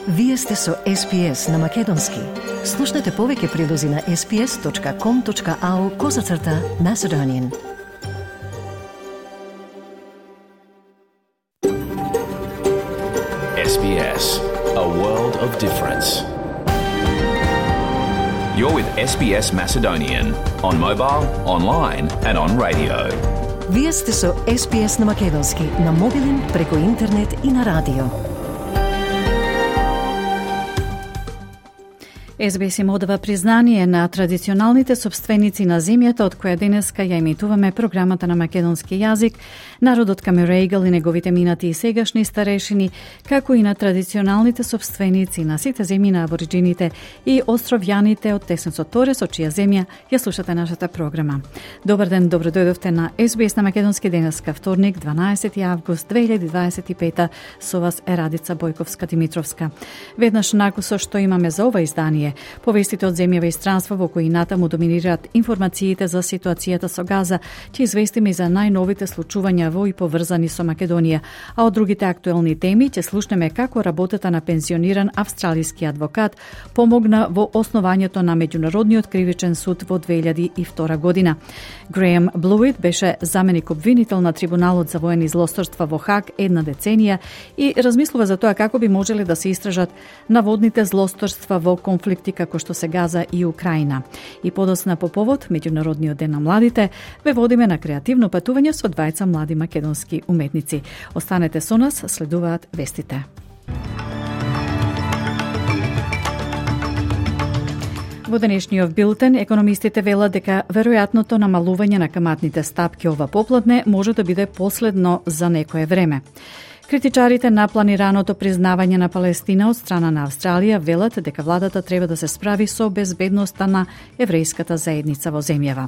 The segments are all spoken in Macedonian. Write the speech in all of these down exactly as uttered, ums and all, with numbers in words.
Вие сте со Ес Би Ес на Македонски. Слушнете повеќе прилози на ес би ес точка ком точка ау козацрта Macedonian. Ес Би Ес, a world of difference. You're with Ес Би Ес Macedonian on mobile, online and on radio. Вие сте со Ес Би Ес на Македонски, на мобилен, преку интернет и на радио. Ес Би Ес им одава признание на традиционалните собственици на земјата од која денеска ја емитуваме програмата на македонски јазик, народот Камерегал и неговите минати и сегашни старешини, како и на традиционалните собственици на сите земји на абориджините и островјаните од Теснецот Торес, од чија земја ја слушате нашата програма. Добар ден, добро дојдовте на Ес Би Ес на Македонски денеска, вторник, дванаесети август две илјади дваесет и пета. Со вас е Радица Бојковска-Димитровска. Веднаш накусо што имаме за ова издание, повестите од земјава и странство во кои натаму доминираат информациите за ситуацијата со Газа, ќе известиме и за најновите случувања во и поврзани со Македонија, а од другите актуелни теми ќе слушнеме како работата на пензиониран австралиски адвокат помогна во основањето на Меѓународниот кривичен суд во две илјади и втора година. Греем Блуит беше заменик обвинител на Трибуналот за воени злосторства во Хаг една деценија и размислува за тоа како би можеле да се истражат наводните злосторства во конфликти како што се Газа и Украина. И подосна по повод Меѓународниот ден на младите, ве водиме на креативно патување со двајца млади македонски уметници. Останете со нас, следуваат вестите. Во денешниот билтен, економистите велат дека веројатното намалување на каматните стапки ова попладне може да биде последно за некое време. Критичарите на планираното признавање на Палестина од страна на Австралија велат дека владата треба да се справи со безбедноста на еврејската заедница во земјава.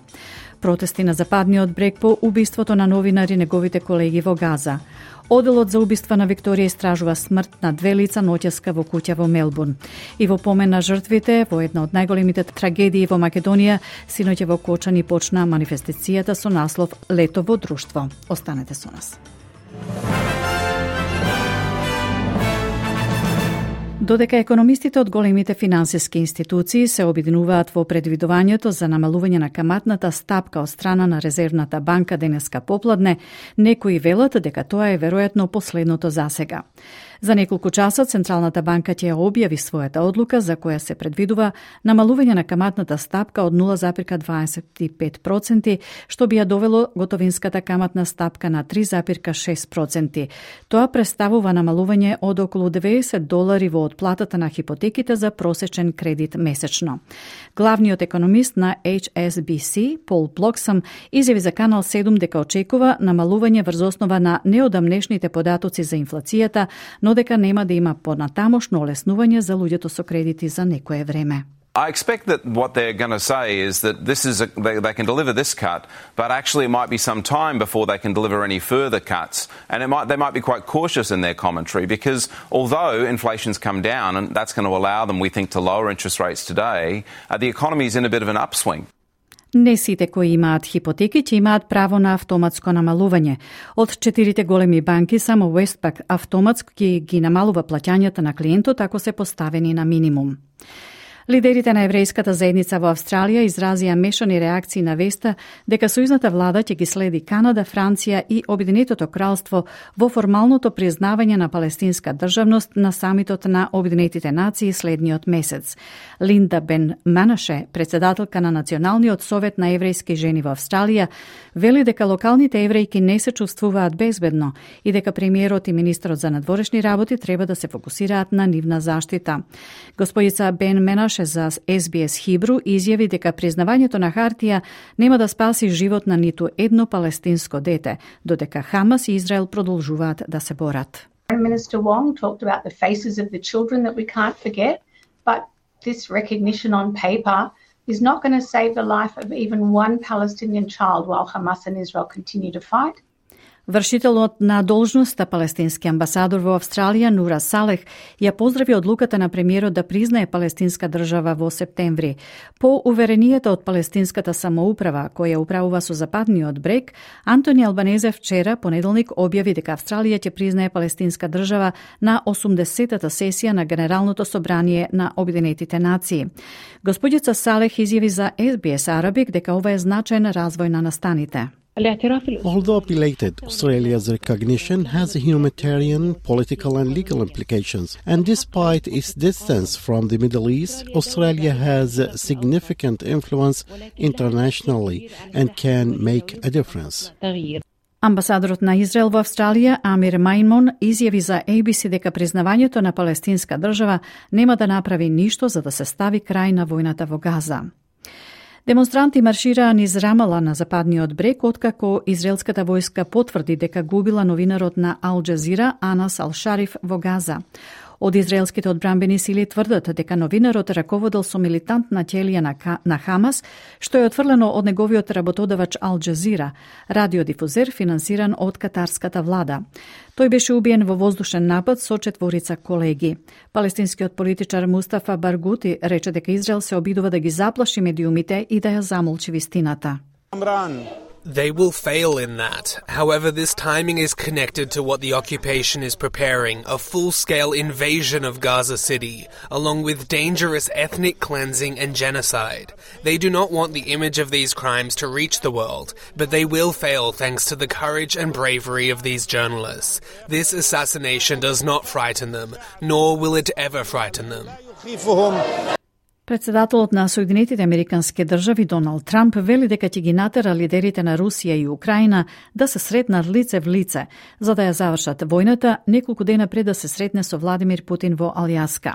Протести на западниот брег по убиството на новинари и неговите колеги во Газа. Оделот за убиства на Викторија истражува смрт на две лица ноќеска во куќа во Мелбурн. И во помен на жртвите, во една од најголемите трагедии во Македонија, синоќа во Кочани почна манифестацијата со наслов Лето во друштво. Останете со нас. Додека економистите од големите финансиски институции се обединуваат во предвидувањето за намалување на каматната стапка од страна на Резервната банка денеска попладне, некои велат дека тоа е веројатно последното засега. За неколку часа Централната банка ќе ја објави својата одлука за која се предвидува намалување на каматната стапка од нула зарез дваесет и пет проценти, што би ја довело готовинската каматна стапка на три зарез шест проценти. Тоа представува намалување од околу деветдесет долари во отплатата на хипотеките за просечен кредит месечно. Главниот економист на Ейч Ес Би Си, Пол Блоксам, изјави за Канал седум дека очекува намалување врз основа на неодамнешните податоци за инфлацијата, но дека нема да има понатамошно олеснување за луѓето со кредити за некое време. I expect that what they're going to say is that this is a, they, they can deliver this cut, but actually it might be some time before they can deliver any further cuts. And it might, they might be quite cautious in their commentary because although inflation's come down and that's going to allow them, we think, to lower interest rates today, uh, the economy is in a bit of an upswing. Не сите кои имаат хипотеки ќе имаат право на автоматско намалување. Од четирите големи банки само Westpac автоматски ги намалува плаќањата на клиентот ако се поставени на минимум. Лидерите на еврејската заедница во Австралија изразија мешани реакции на веста дека сојузната влада ќе ги следи Канада, Франција и Обединетото кралство во формалното признавање на палестинска државност на самитот на Обединетите нации следниот месец. Линда Бен Манаше, председателка на Националниот совет на еврејски жени во Австралија, вели дека локалните еврејки не се чувствуваат безбедно и дека премиерот и министерот за надворешни работи треба да се фокусираат на нивна заштита. Господица Бен Манаше за Ес Би Ес Хибру изјави дека признавањето на хартија нема да спаси живот на ниту едно палестинско дете, додека Хамас и Израел продолжуваат да се борат. Minister Wong talked about the faces of the children that we can't forget, but this recognition on paper is not going to save the life of even one Palestinian child while Hamas and Israel continue to fight. Вршителот на должноста палестински амбасадор во Австралија Нура Салех ја поздрави одлуката на премиерот да признае палестинска држава во септември. По уверенијата од палестинската самоуправа која управува со западниот брег, Антони Албанезе вчера, понеделник, објави дека Австралија ќе признае палестинска држава на осумдесетата сесија на Генералното собрание на Обединетите нации. Господица Салех изјави за Ес Би Ес Arabic дека ова е значаен развој на настаните. Although belated, Australia's recognition has humanitarian, political and legal implications. And despite its distance from the Middle East, Australia has significant influence internationally and can make a difference. Амбасадорот на Израел во Австралија, Амир Мајмон, изјави за Ей Би Си дека признавањето на палестинска држава нема да направи ништо за да се стави крај на војната во Газа. Демонстранти маршираа низ Рамала на западниот брег, откако израелската војска потврди дека губила новинарот на Ал Джазира Анас Ал Шариф во Газа. Од израелските одбранбени сили тврдат дека новинарот раководел со милитантна ќелија на, на Хамас, што е отфрлено од неговиот работодавач Ал Джазира, радиодифузер финансиран од катарската влада. Тој беше убиен во воздушен напад со четворица колеги. Палестинскиот политичар Мустафа Баргути рече дека Израел се обидува да ги заплаши медиумите и да ја замолчи вистината. They will fail in that. However, this timing is connected to what the occupation is preparing, a full-scale invasion of Gaza City, along with dangerous ethnic cleansing and genocide. They do not want the image of these crimes to reach the world, but they will fail thanks to the courage and bravery of these journalists. This assassination does not frighten them, nor will it ever frighten them. Председателот на Соединетите Американски држави Доналд Трамп вели дека ќе ги натера лидерите на Русија и Украина да се сретнат лице в лице, за да ја завршат војната неколку дена пред да се сретне со Владимир Путин во Алјаска.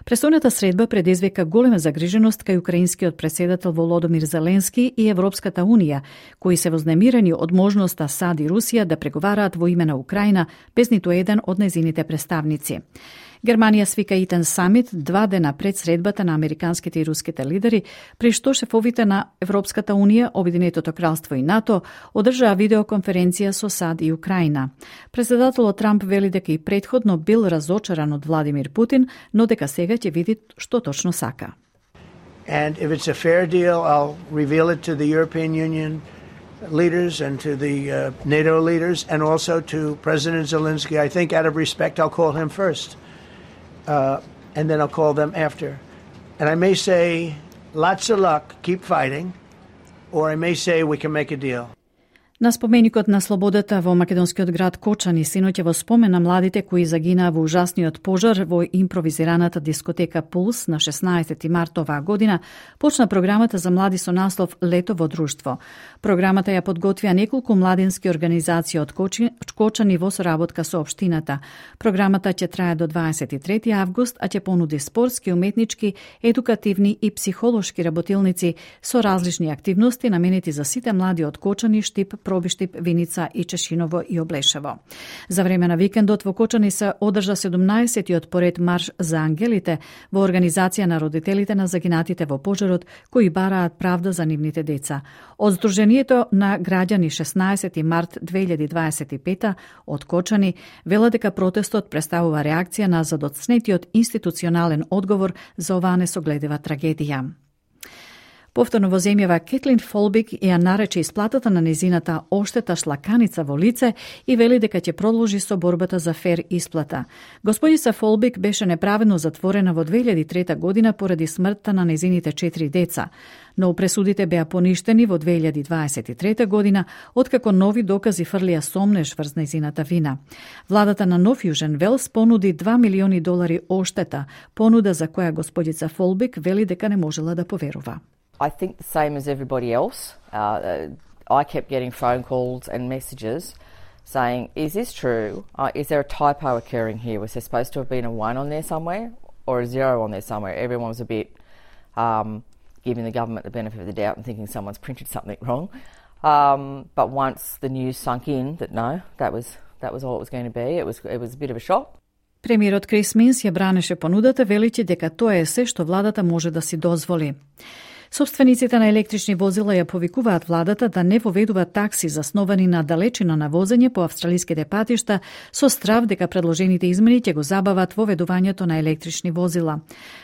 Престојната средба предизвика голема загриженост кај украинскиот претседател Володомир Зеленски и Европската унија, кои се вознемирени од можноста САД и Русија да преговараат во име на Украина без ниту еден од нејзините представници. Германија свика итен самит два дена пред средбата на американските и руските лидери, при што шефовите на Европската унија, Обединетото кралство и НАТО одржаа видеоконференција со САД и Украина. Председателот Трамп вели дека и претходно бил разочаран од Владимир Путин, но дека сега ќе види што точно сака. And if it's a fair deal, I'll reveal it to the European Union leaders and to the uh, NATO leaders and also to President Zelensky. I think out of respect I'll call him first. Uh, and then I'll call them after. And I may say, lots of luck, keep fighting, or I may say we can make a deal. На споменикот на слободата во македонскиот град Кочани синоќа во спомен на младите кои загинаа во ужасниот пожар во импровизираната дискотека Пулс на шеснаесети март оваа година, почна програмата за млади со наслов Лето во друштво. Програмата ја подготвија неколку младински организации од Кочани во соработка со општината. Програмата ќе трае до дваесет и трети август, а ќе понуди спортски, уметнички, едукативни и психолошки работилници со различни активности наменети за сите млади од Кочани, Штип, Пробиштип, Виница и Чешиново и Облешево. За време на викендот во Кочани се одржа седумнаесеттиот поред марш за ангелите во организација на родителите на загинатите во пожарот кои бараат правда за нивните деца. Од Сдруженијето на граѓани шеснаесети март две илјади дваесет и пета од Кочани велат дека протестот представува реакција на задоцнетиот институционален одговор за оваа несогледива трагедија. Повторно во земјава Кетлин Фолбик ја нарече исплатата на незината оштета шлаканица во лице и вели дека ќе продолжи со борбата за фер исплата. Господица Фолбик беше неправедно затворена во две илјади и трета година поради смртта на незините четири деца, но пресудите беа поништени во две илјади дваесет и трета година, откако нови докази фрлија сомнеш врз незината вина. Владата на Нов Јужен Велс понуди два милиони долари оштета, понуда за која господица Фолбик вели дека не можела да поверува. I think the same as everybody else. Uh, I kept getting phone calls and messages saying, is this true? Uh, is there a typo occurring here? Was there supposed to have been a one on there somewhere or a zero on there somewhere? Everyone was a bit um, giving the government the benefit of the doubt and thinking someone's printed something wrong. Um, but once the news sunk in that no, that was that was all it was going to be, it was it was a bit of a shock. Премиерот Крис Минс ја бранеше понудата, величи дека тоа е се што владата може да си дозволи. Собствениците на електрични возила ја повикуваат владата да не воведуваат такси засновани на далечина на возење по австралиските патишта со страв дека предложените измени ќе го забават воведувањето на електрични возила.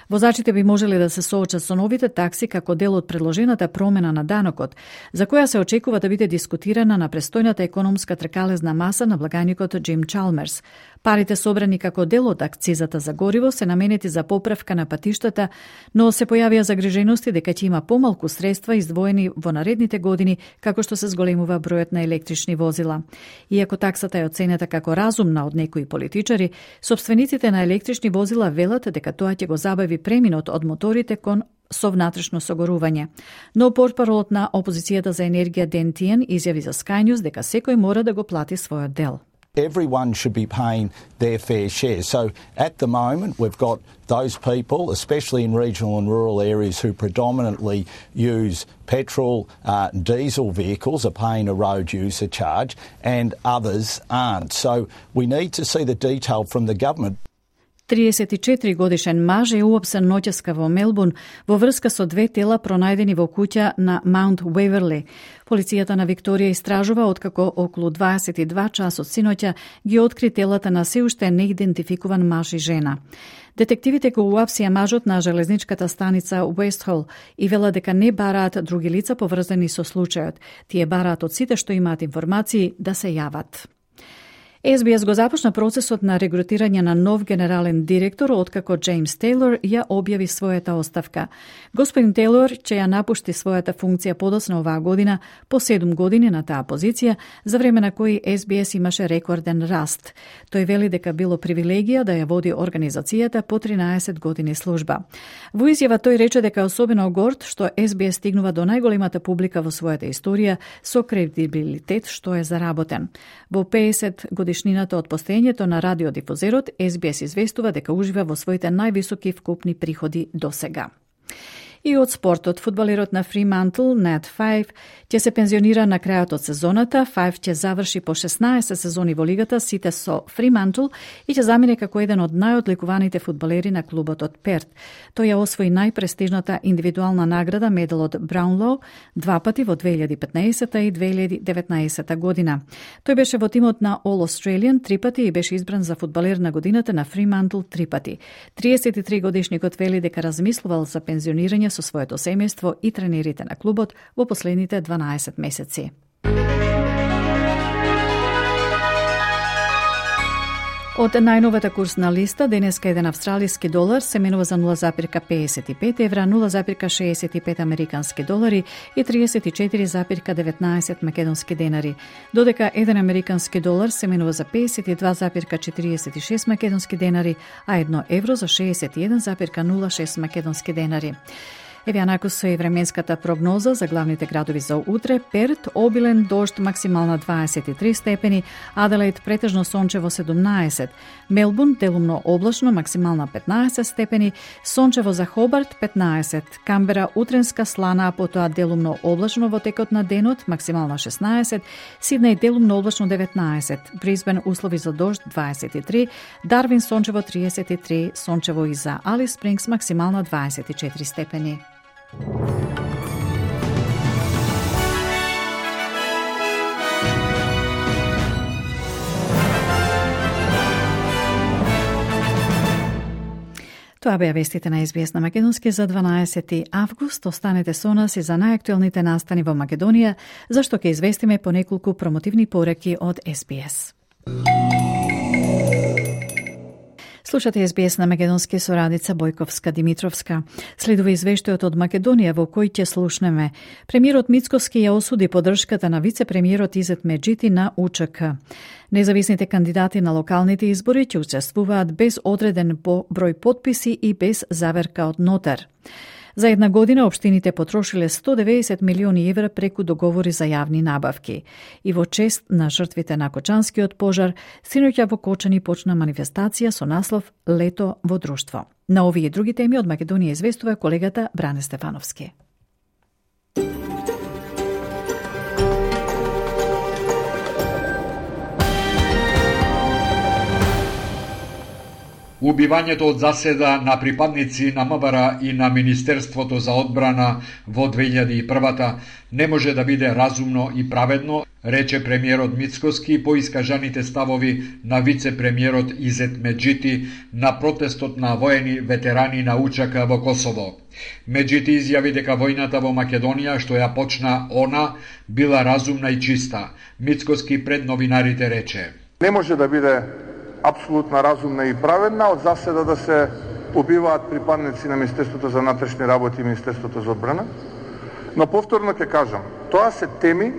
Возачите би можеле да се соочат со новите такси како дел од предложената промена на данокот, за која се очекува да биде дискутирана на престојната економска тркалезна маса на благаникот Джим Чалмерс. Парите собрани како дел од акцизата за гориво се наменети за поправка на патиштата, но се појавија загрижености дека ќе има помалку средства издвоени во наредните години како што се зголемува бројот на електрични возила. Иако таксата е оценета како разумна од некои политичари, собствениците на електрични возила велат дека тоа ќе го забави преминот од моторите кон со внатрешно согорување. Но портпаролот на опозицијата за енергија Ден Тиен изјави за Sky News дека секој мора да го плати својот дел. Everyone should be paying their fair share. So at the moment, we've got those people, especially in regional and rural areas, who predominantly use petrol, uh, diesel vehicles, are paying a road user charge, and others aren't. So we need to see the detail from the government. триесет и четири годишен маж е уапсен ноќеска во Мелбурн во врска со две тела пронајдени во куќа на Маунт Уеверли. Полицијата на Викторија истражува откако околу дваесет и два часот синоќа ги откри телата на се уште неидентификуван маж и жена. Детективите го уапсија мажот на железничката станица Уестхол и вела дека не бараат други лица поврзани со случајот. Тие бараат од сите што имаат информации да се јават. Ес Би Ес го започна процесот на регрутирање на нов генерален директор откако Джеймс Тейлор ја објави својата оставка. Господин Тейлор ќе ја напушти својата функција подоцна оваа година по седум години на таа позиција, за време на кои Ес Би Ес имаше рекорден раст. Тој вели дека било привилегија да ја води организацијата по тринаесет години служба. Во изјава тој рече дека е особено горд што Ес Би Ес стигнува до најголемата публика во својата историја со кредибилитет што е заработен. Во пеесет годишнината од постоењето на радиодифузерот, Ес Би Ес известува дека ужива во своите највисоки вкупни приходи досега. И од спортот, фудбалерот на Фримантл, Нат Фајв, ќе се пензионира на крајот од сезоната. Фајв ќе заврши по шеснаесет сезони во лигата, сите со Фримантл, и ќе замине како еден од најодликуваните фудбалери на клубот од Перт. Тој ја освои најпрестижната индивидуална награда, медалот Браунлоу, два пати во две илјади и петнаесета и две илјади и деветнаесета година. Тој беше во тимот на All Australian три пати и беше избран за фудбалер на годината на Фримантл три пати. триесет и три годишникот вели дека размислувал за пензионирање со своето семејство и тренерите на клубот во последните дванаесет месеци. Од најновата курсна листа, денеска еден австралиски долар се менува за нула запир педесет и пет евра, нула запир шеесет и пет американски долари и триесет и четири запир деветнаесет македонски денари, додека еден американски долар се менува за педесет и два запир четириесет и шест македонски денари, а едно евро за шеесет и еден запир нула шест македонски денари. Еве анаку со и временската прогноза за главните градови за утре: Перт обилен дожд, максимална дваесет и три степени, Аделаид претежно сончево седумнаесет, Мелбурн делумно облачно, максимална петнаесет степени, сончево за Хобарт петнаесет, Камбера утренска слана, а потоа делумно облачно во текот на денот, максимална шеснаесет, Сиднеј делумно облачно деветнаесет, Брисбен услови за дожд дваесет и три, Дарвин сончево триесет и три, сончево и за Алис Спрингс, максимална дваесет и четири степени. Тоа беа вестите на Ес Би Ес на македонски за дванаесети август. Останете со нас и за најактуелните настани во Македонија, зашто ќе известиме по неколку промотивни пореки од Ес Би Ес. Слушате Ес Би Ес на македонски со Радица Бојковска-Димитровска. Следува извештајот од Македонија во кој ќе слушнеме. Премиерот Мицкоски ја осуди поддршката на вице-премиерот Изет Меджити на У Ч К. Независните кандидати на локалните избори ќе учествуваат без одреден број подписи и без заверка од нотар. За една година општините потрошиле сто деветдесет милиони евра преку договори за јавни набавки. И во чест на жртвите на Кочанскиот пожар, синоќа во Кочани почна манифестација со наслов Лето во друштво. На овие и други теми од Македонија известува колегата Бране Стефановски. Убивањето од заседа на припадници на М В Р и на Министерството за одбрана во две илјади и прва не може да биде разумно и праведно, рече премиерот Мицкоски по искажаните ставови на вице-премиерот Изет Меджити на протестот на воени ветерани на Учака во Косово. Меджити изјави дека војната во Македонија, што ја почна она, била разумна и чиста. Мицкоски пред новинарите рече: Не може да биде апсолутно разумна и праведна од заседа да се убиваат припадници на Министерството за внатрешни работи и Министерството за одбрана. Но повторно ќе кажам, тоа се теми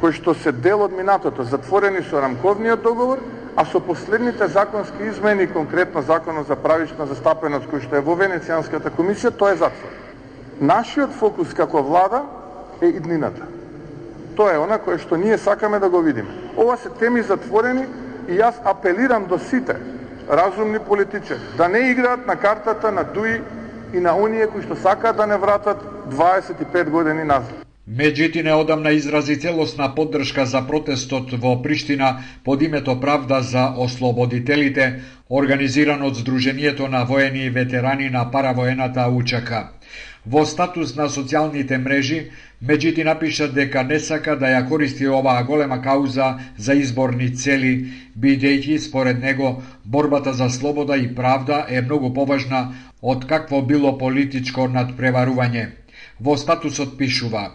кои што се дел од минатото, затворени со рамковниот договор, а со последните законски измени, конкретно Законот за правична застапеност кој што е во Венецијанската комисија, тоа е затвор. Нашиот фокус како влада е иднината. Тоа е она кое што ние сакаме да го видиме. Ова се теми затворени и јас апелирам до сите разумни политичари да не играат на картата на Дуи и на оние кои што сакаат да не вратат дваесет и пет години назад. Меджити неодамна изрази целосна поддршка за протестот во Приштина под името Правда за ослободителите, организиран од Сдруженијето на воени и ветерани на паравоената Учака. Во статус на социјалните мрежи, Меджити напиша дека не сака да ја користи оваа голема кауза за изборни цели, бидејќи според него борбата за слобода и правда е многу поважна од какво било политичко надпреварување. Во статусот пишува: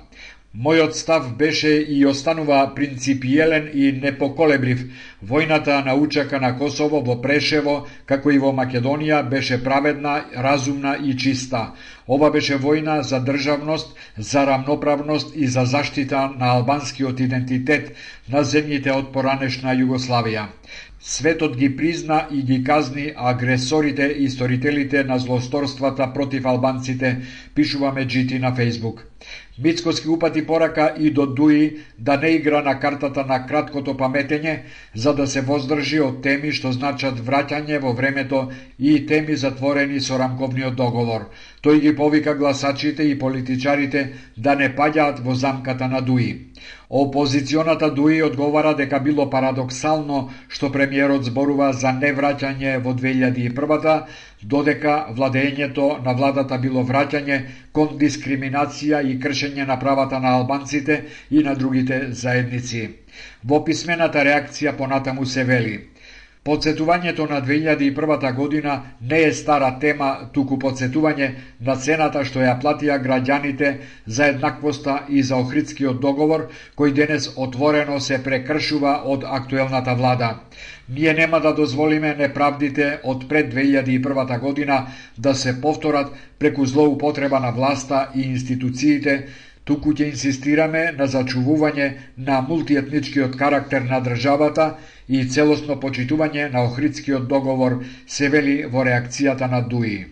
Мојот став беше и останува принципиелен и непоколеблив. Војната на Учака на Косово во Прешево, како и во Македонија, беше праведна, разумна и чиста. Ова беше војна за државност, за рамноправност и за заштита на албанскиот идентитет на земјите од поранешна Југославија. Светот ги призна и ги казни агресорите и сторителите на злосторствата против албанците, пишува Меджити на Фејсбук. Мицкоски упати порака и до Дуи да не игра на картата на краткото паметење, за да се воздржи од теми што значат враќање во времето и теми затворени со рамковниот договор. Тој ги повика гласачите и политичарите да не паѓаат во замката на Дуи. Опозиционата Дуи одговара дека било парадоксално што премиерот зборува за невраќање во две илјади и прва, додека владењето на владата било враќање кон дискриминација и кршење на правата на албанците и на другите заедници. Во писмената реакција понатаму се вели: Подсетувањето на две илјади и прва година не е стара тема, туку подсетување на цената што ја платија граѓаните за еднаквоста и за Охридскиот договор, кој денес отворено се прекршува од актуелната влада. Ние нема да дозволиме неправдите од пред две илјади и прва година да се повторат преку злоупотреба на власта и институциите, туку ќе инсистираме на зачувување на мултиетничкиот карактер на државата и целосно почитување на Охридскиот договор, се вели во реакцијата на Дуи.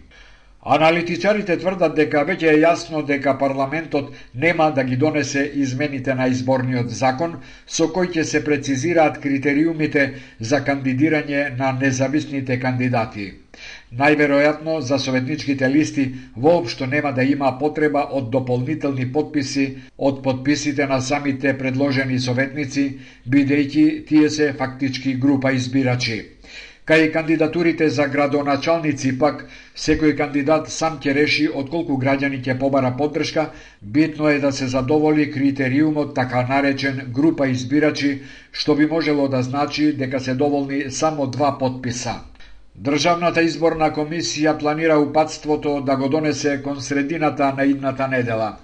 Аналитичарите тврдат дека веќе е јасно дека парламентот нема да ги донесе измените на изборниот закон, со кој ќе се прецизираат критериумите за кандидирање на независните кандидати. Најверојатно за советничките листи воопшто нема да има потреба од дополнителни потписи од потписите на самите предложени советници, бидејќи тие се фактички група избирачи. Кај кандидатурите за градоначалници пак, секој кандидат сам ќе реши од колку граѓани ќе побара поддршка, битно е да се задоволи критериумот така наречен група избирачи, што би можело да значи дека се доволни само два потписа. Државната изборна комисија планира упатството да го донесе кон средината на идната недела.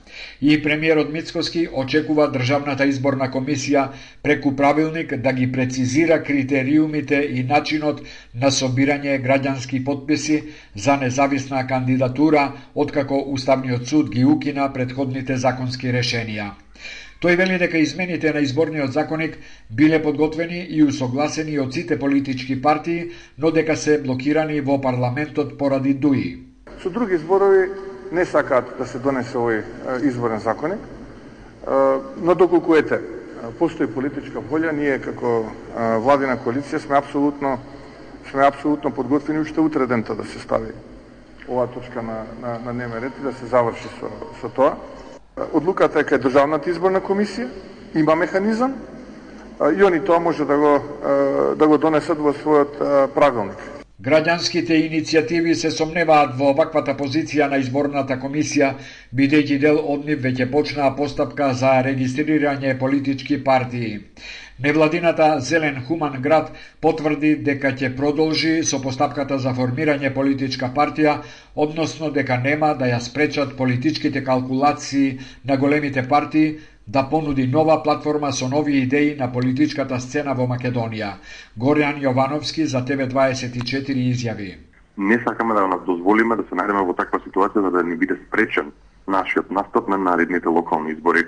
И премиерот Мицкоски очекува Државната изборна комисија преку правилник да ги прецизира критериумите и начинот на собирање граѓански потписи за независна кандидатура, откако Уставниот суд ги укина претходните законски решенија. Тој вели дека измените на изборниот законник биле подготвени и усогласени од сите политички партии, но дека се блокирани во парламентот поради Дуи. Со други зборови, не сакаат да се донесе овој изборен законник, но доколку ете, постои политичка волја, ние како владина коалиција сме апсолутно сме апсолутно подготвени уште утре дента да се стави оваа точка на на на дневен ред и да се заврши со со тоа. Одлуката е кај Државната изборна комисија, има механизам и они тоа може да го да го донесат во својот правилник. Граѓанските иницијативи се сомневаат во ваквата позиција на изборната комисија, бидејќи дел од нив веќе почнаа постапка за регистрирање политички партии. Невладината Зелен Хуман град потврди дека ќе продолжи со постапката за формирање политичка партија, односно дека нема да ја спречат политичките калкулации на големите партии да понуди нова платформа со нови идеи на политичката сцена во Македонија. Горјан Јовановски за Т В дваесет и четири изјави: Не сакаме да нас дозволиме да се најдеме во таква ситуација за да ни биде спречен нашиот настап на наредните локални избори.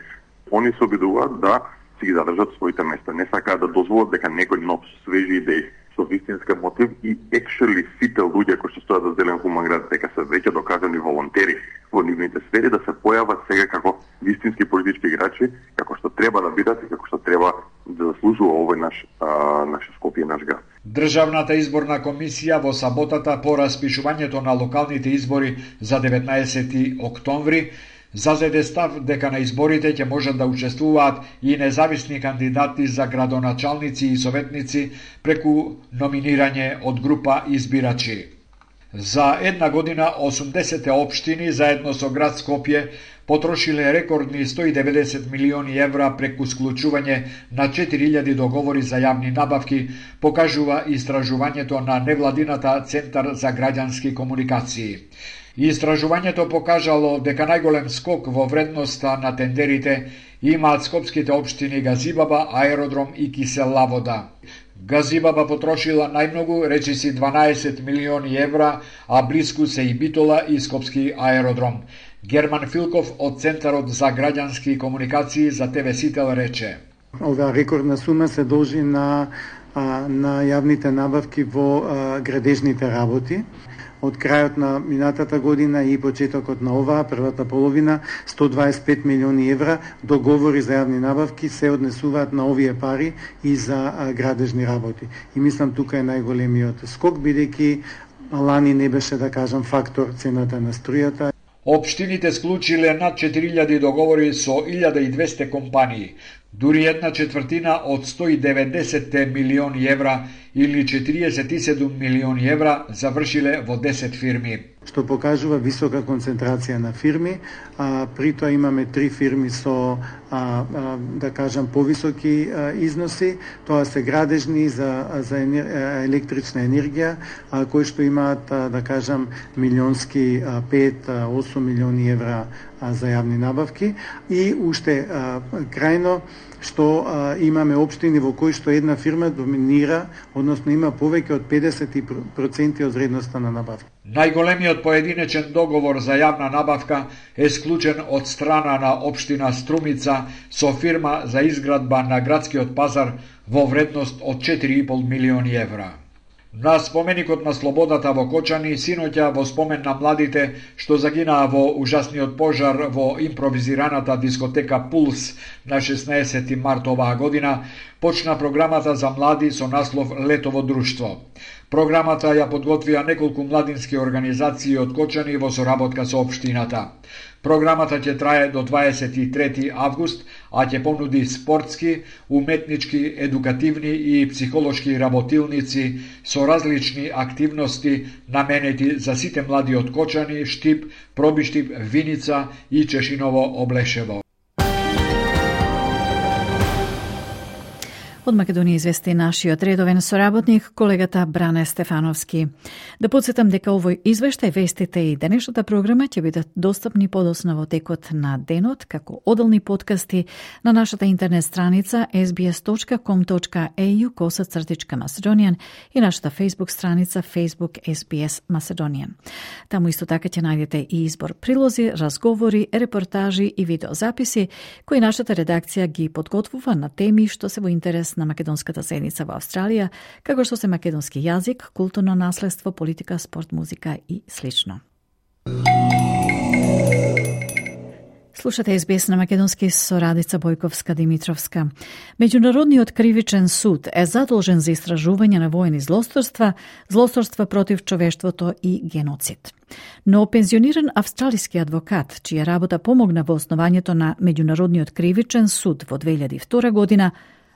Они се обидуваат да си ги задржат своите места. Не сакаат да дозволат дека некој нов свежи идеи со вистинска мотив и actually сите луѓе кои што стојат за Зелен Хуман град дека се веќе докажани волонтери во нивните сфери да се појават сега како вистински политички играчи, како што треба да бидат и како што треба да заслужува овој наш а, наш Скопје, наш град. Државната изборна комисија во саботата по распишувањето на локалните избори за деветнаесети октомври зазеде став дека на изборите ќе можат да учествуваат и независни кандидати за градоначалници и советници преку номинирање од група избирачи. За една година осумдесет општини заедно со град Скопје потрошиле рекордни сто и деветдесет милиони евра преку склучување на четири илјади договори за јавни набавки, покажува истражувањето на невладината Центар за граѓански комуникации. Истражувањето покажало дека најголем скок во вредноста на тендерите имаат скопските општини Газибаба, Аеродром и Кисела вода. Газибаба потрошила најмногу, речиси дванаесет милиони евра, а блиску се и Битола и Скопски аеродром. Герман Филков од Центарот за граѓански комуникации за Т В Сител рече: Ова рекордна сума се должи на, на јавните набавки во градежните работи. Од крајот на минатата година и почетокот на оваа првата половина, сто дваесет и пет милиони евра договори за јавни набавки се однесуваат на овие пари и за градежни работи. И мислам тука е најголемиот скок, бидејќи лани не беше, да кажам, фактор цената на струјата. Општините склучиле над четири илјади договори со илјада и двесте компании. Дури една четвртина од сто и деветдесет милиони евра или четириесет и седум милиони евра завршиле во десет фирми. Што покажува висока концентрација на фирми, а, при тоа имаме три фирми со, а, а, да кажам, повисоки а, износи, тоа се градежни за, за енер, електрична енергија, а, кои што имаат, а, да кажам, милионски пет до осум милиони евра а, за јавни набавки и уште а, крајно што а, имаме општини во кои што една фирма доминира, односно има повеќе од педесет проценти од вредноста на набавка. Најголемиот поединечен договор за јавна набавка е склучен од страна на општина Струмица со фирма за изградба на градскиот пазар во вредност од четири и пол милиони евра. На споменикот на слободата во Кочани, синоќа во спомен на младите што загинаа во ужасниот пожар во импровизираната дискотека Пулс на шеснаесети март оваа година, почна програмата за млади со наслов Летово друштво. Програмата ја подготвија неколку младински организации од Кочани во соработка со општината. Програмата ќе трае до дваесет и трети август, а ќе понуди спортски, уметнички, едукативни и психолошки работилници со различни активности наменети за сите млади од Кочани, Штип, Пробиштип, Виница и Чешиново Облешево. Од Македонија извести нашиот редовен соработник, колегата Бране Стефановски. Да подсетам дека овој извештај, вестите и денешната програма ќе бидат достапни подоцна во текот на денот, како оделни подкасти на нашата интернет страница ес би ес точка ком точка е ю косацртичка Macedonian и нашата Facebook страница Facebook ес би ес Macedonian. Таму исто така ќе најдете и избор прилози, разговори, репортажи и видеозаписи кои нашата редакција ги подготвува на теми што се во интерес на македонската заедница во Австралија, како што се македонски јазик, културно наследство, политика, спорт, музика и слично. Слушате ес би ес на македонски со Радица Бојковска-Димитровска. Меѓународниот кривичен суд е задолжен за истражување на воени злосторства, злосторства против човештвото и геноцид. Но пензиониран австралиски адвокат, чија работа помогна во основањето на Меѓународниот кривичен суд во две илјади и втора година,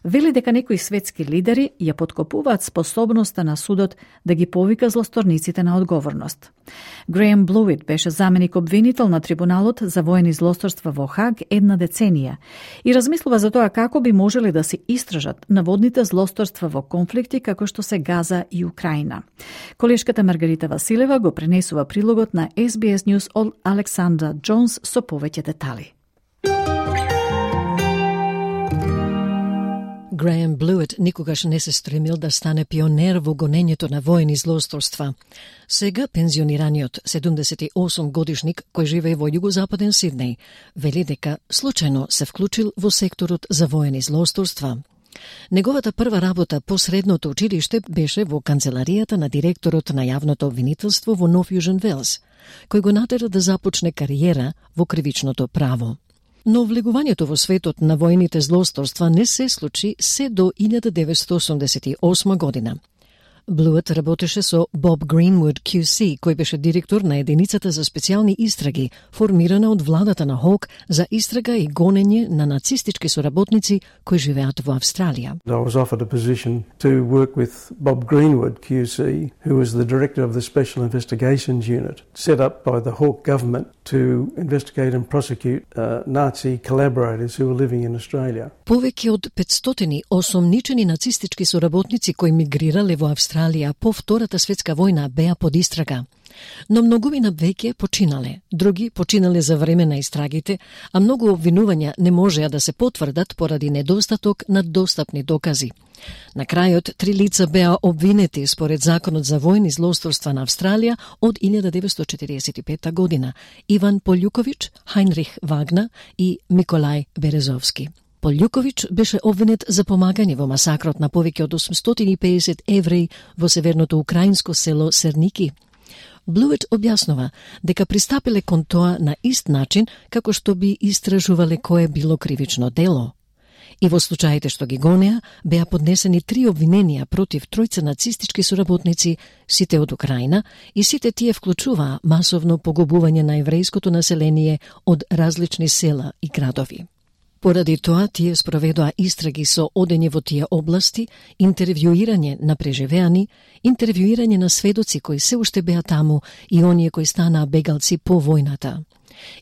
вели дека некои светски лидери ја подкопуваат способноста на судот да ги повика злосторниците на одговорност. Греем Блуит беше заменик обвинител на Трибуналот за воени злосторства во Хаг една деценија и размислува за тоа како би можеле да се истражат наводните злосторства во конфликти како што се Газа и Украина. Колешката Маргарита Василева го пренесува прилогот на Ес Би Ес News од Александра Джонс со повеќе детали. Греем Блуит никогаш не се стремил да стане пионер во гонењето на воени злосторства. Сега пензионираниот седумдесет и осум годишник кој живее во југозападен Сиднеј вели дека случајно се вклучил во секторот за воени злосторства. Неговата прва работа по средното училиште беше во канцеларијата на директорот на јавното обвинителство во Нов Јужен Велс, кој го натера да започне кариера во кривичното право. Но влегувањето во светот на воените злосторства не се случи се до илјада деветстотини осумдесет и осма година. Блуит работеше со Боб Гринвуд Q C, кој беше директор на единицата за специјални истраги, формирана од владата на Хок за истрага и гонење на нацистички соработници кои живеат во Австралија. I was offered a position to work with Bob Greenwood Q C, who was the director of the Special Investigations Unit, set up by the Hawke government to investigate and prosecute uh, Nazi collaborators who were living in Australia. Повеќе од петстотини осомничени нацистички соработници кои мигрирале во Австралија по Втората светска војна беа под истрага. Но многумина веќе починале, други починале за време на истрагите, а многу обвинувања не можеа да се потврдат поради недостаток на достапни докази. На крајот, три лица беа обвинети според Законот за војни злосторства на Австралија од илјада деветстотини четириесет и пета година: Иван Полјуковиќ, Хајнрих Вагна и Миколај Березовски. Полјуковиќ беше обвинет за помагање во масакрот на повеќе од осумстотини и педесет евреи во северното украинско село Серники. Блуит објаснува дека пристапиле кон тоа на ист начин како што би истражувале кое било кривично дело. И во случаите што ги гонеа, беа поднесени три обвиненија против тројца нацистички соработници, сите од Украина, и сите тие вклучуваа масовно погубување на еврејското население од различни села и градови. Поради тоа, тие спроведоа истраги со одење во тие области, интервјуирање на преживеани, интервјуирање на сведоци кои се уште беа таму и оние кои станаа бегалци по војната.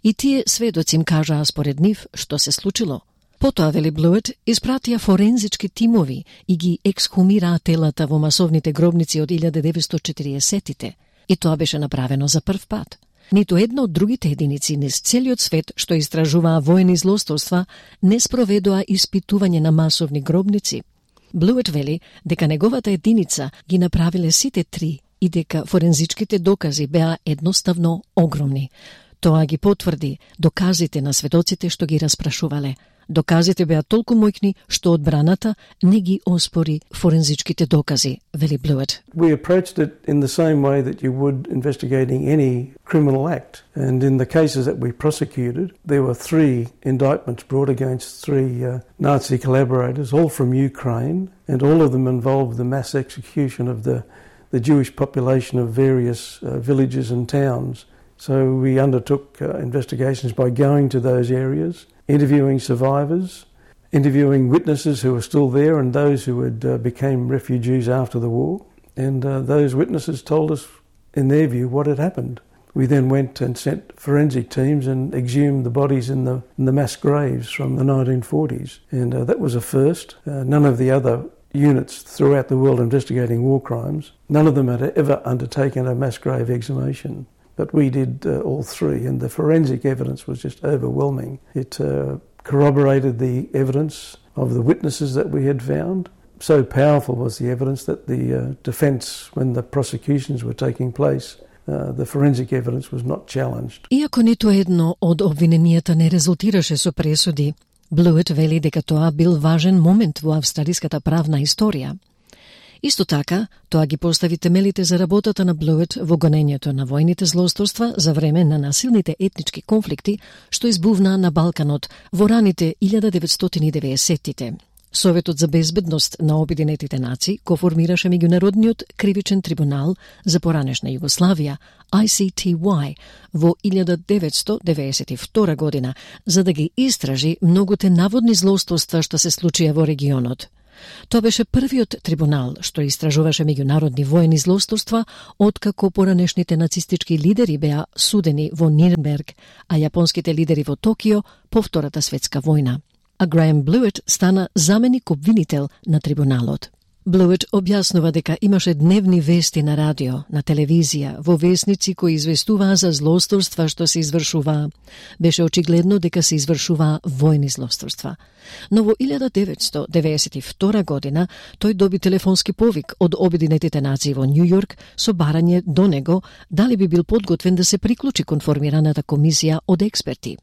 И тие сведоци им кажаа според нив што се случило. Потоа, вели Блуит, испратија форензички тимови и ги ексхумираа телата во масовните гробници од илјада деветстотини и четириесеттите. И тоа беше направено за прв пат. Ниту една од другите единици низ целиот свет што истражуваа воени злосторства не спроведоа испитување на масовни гробници. Блуит вели дека неговата единица ги направиле сите три и дека форензичките докази беа едноставно огромни. Тоа ги потврди доказите на сведоците што ги распрашувале. Доказите беа толку моќни што одбраната не ги оспори форензичките докази, вели Блуит. We approached it in the same way that you would investigating any criminal act. And in the cases that we prosecuted, there were three indictments brought against three uh, Nazi collaborators, all from Ukraine, and all of them involved the mass execution of the, the Jewish population of various uh, villages and towns. So we undertook uh, investigations by going to those areas, interviewing survivors, interviewing witnesses who were still there and those who had uh, became refugees after the war. And uh, those witnesses told us, in their view, what had happened. We then went and sent forensic teams and exhumed the bodies in the, in the mass graves from the nineteen forties. And uh, that was a first. Uh, none of the other units throughout the world investigating war crimes, none of them had ever undertaken a mass grave exhumation. But we did uh, all three, and the forensic evidence was just overwhelming. It uh, corroborated the evidence of the witnesses that we had found. So powerful was the evidence that the uh, defence, when the prosecutions were taking place, uh, the forensic evidence was not challenged. Иако ниту едно од обвиненијата не резултираше со пресуди, Блуит вели дека тоа бил важен момент во австралиската правна историја. Исто така, тоа ги постави темелите за работата на Блуит во гонењето на војните злосторства за време на насилните етнички конфликти што избувнаа на Балканот во раните илјада деветстотини и деветдесеттите. Советот за безбедност на Обединетите нации го формираше Меѓународниот кривичен трибунал за поранешна Југославија, I C T Y, во илјада деветстотини деветдесет и втора година, за да ги истражи многуте наводни злоустојства што се случија во регионот. Тоа беше првиот трибунал што истражуваше меѓународни воени злоустојства откако поранешните нацистички лидери беа судени во Нирнберг, а јапонските лидери во Токио по Втората светска војна. А Граем Блует стана заменик обвинител на трибуналот. Блует објаснува дека имаше дневни вести на радио, на телевизија, во весници кои известуваа за злоустојства што се извршуваа. Беше очигледно дека се извршуваа војни злоустојства. Но во илјада деветстотини деветдесет и втора година тој доби телефонски повик од Обединетите нации во Њу Јорк со барање до него дали би бил подготвен да се приклучи кон формираната комисија од експерти.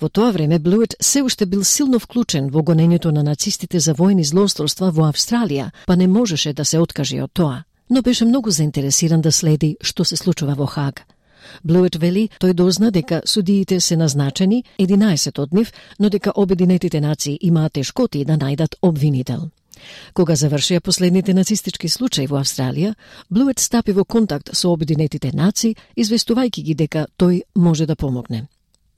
Во тоа време Блует се уште бил силно вклучен во гонењето на нацистите за војни злоустојства во Австралија, па не можеше да се откаже од тоа, но беше многу заинтересиран да следи што се случува во Хаг. Блует вели тој дозна дека судиите се назначени, единаесет од нив, но дека Обединетите нации имаат тешкоти да најдат обвинител. Кога завршија последните нацистички случаи во Австралија, Блует стапи во контакт со Обединетите нации, известувајќи ги дека тој може да помогне.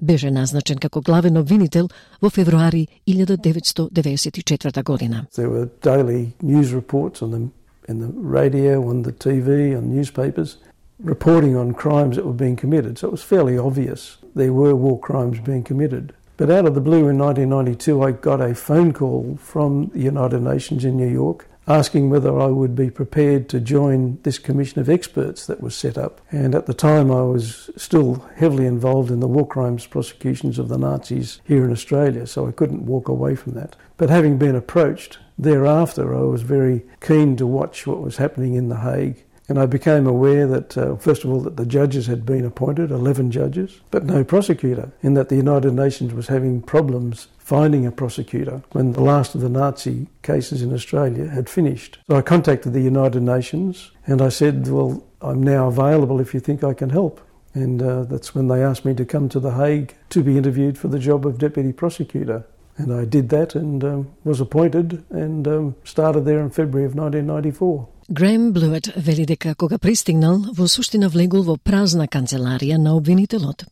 Беше назначен како главен обвинител во февруари илјада деветстотини деветдесет и четврта година. There were daily news reports on the, in the radio, on the T V, on newspapers, reporting on crimes that were being committed. So it was fairly obvious there were war crimes being committed. But out of the blue in nineteen ninety-two, I got a phone call from the United Nations in New York asking whether I would be prepared to join this commission of experts that was set up. And at the time I was still heavily involved in the war crimes prosecutions of the Nazis here in Australia, so I couldn't walk away from that. But having been approached, thereafter I was very keen to watch what was happening in The Hague. And I became aware that, uh, first of all, that the judges had been appointed, eleven judges, but no prosecutor, and that the United Nations was having problems finding a prosecutor when the last of the Nazi cases in Australia had finished. So I contacted the United Nations and I said, well, I'm now available if you think I can help. And uh, that's when they asked me to come to The Hague to be interviewed for the job of deputy prosecutor. And I did that and um, was appointed and um, started there in February of nineteen ninety-four. Граем Блует вели дека кога пристигнал, во суштина влегол во празна канцеларија на обвинителот.